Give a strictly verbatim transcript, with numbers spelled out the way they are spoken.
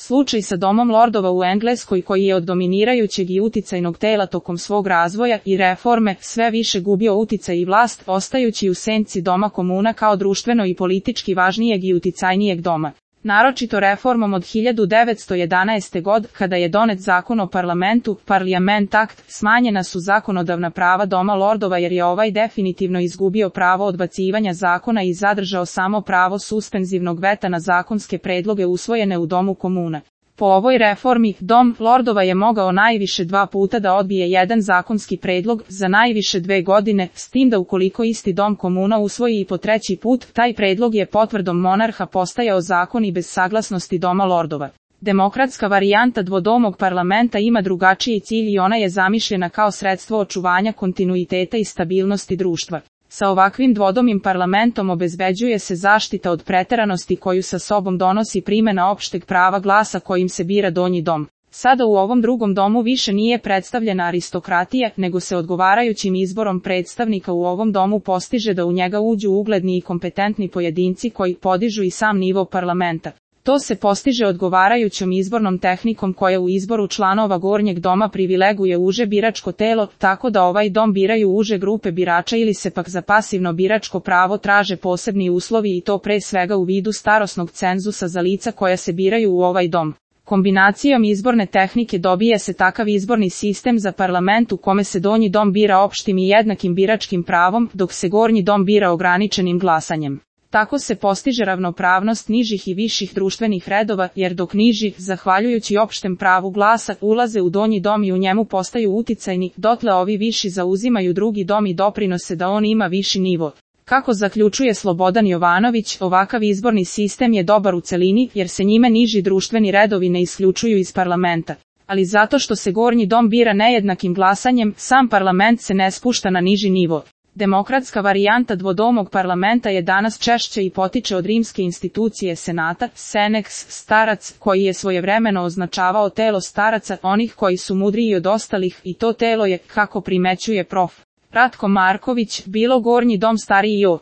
Slučaj sa Domom lordova u Engleskoj, koji je od dominirajućeg i uticajnog tela tokom svog razvoja i reforme sve više gubio uticaj i vlast, ostajući u senci Doma komuna kao društveno i politički važnijeg i uticajnijeg doma. Naročito reformom od hiljadu devetsto jedanaeste. godine, kada je donet zakon o parlamentu, Parliament Act, smanjena su zakonodavna prava Doma lordova jer je ovaj definitivno izgubio pravo odbacivanja zakona i zadržao samo pravo suspenzivnog veta na zakonske predloge usvojene u Domu komuna. Po ovoj reformi, Dom lordova je mogao najviše dva puta da odbije jedan zakonski predlog za najviše dve godine, s tim da ukoliko isti Dom komuna usvoji i po treći put, taj predlog je potvrdom monarha postajao zakon i bez saglasnosti Doma lordova. Demokratska varijanta dvodomog parlamenta ima drugačiji cilj i ona je zamišljena kao sredstvo očuvanja kontinuiteta i stabilnosti društva. Sa ovakvim dvodomim parlamentom obezbeđuje se zaštita od preteranosti koju sa sobom donosi primjena opšteg prava glasa kojim se bira donji dom. Sada u ovom drugom domu više nije predstavljena aristokratija, nego se odgovarajućim izborom predstavnika u ovom domu postiže da u njega uđu ugledni i kompetentni pojedinci koji podižu i sam nivo parlamenta. To se postiže odgovarajućom izbornom tehnikom koja u izboru članova gornjeg doma privileguje uže biračko telo, tako da ovaj dom biraju uže grupe birača ili se pak za pasivno biračko pravo traže posebni uslovi i to pre svega u vidu starosnog cenzusa za lica koja se biraju u ovaj dom. Kombinacijom izborne tehnike dobije se takav izborni sistem za parlament u kome se donji dom bira opštim i jednakim biračkim pravom, dok se gornji dom bira ograničenim glasanjem. Tako se postiže ravnopravnost nižih i viših društvenih redova, jer dok niži, zahvaljujući opštem pravu glasa, ulaze u donji dom i u njemu postaju uticajni, dotle ovi viši zauzimaju drugi dom i doprinose da on ima viši nivo. Kako zaključuje Slobodan Jovanović, ovakav izborni sistem je dobar u celini, jer se njime niži društveni redovi ne isključuju iz parlamenta. Ali zato što se gornji dom bira nejednakim glasanjem, sam parlament se ne spušta na niži nivo. Demokratska varijanta dvodomog parlamenta je danas češće i potiče od rimske institucije senata, senex, starac, koji je svojevremeno označavao telo staraca, onih koji su mudriji od ostalih, i to telo je, kako primećuje prof. Ratko Marković, bilo gornji dom stariji od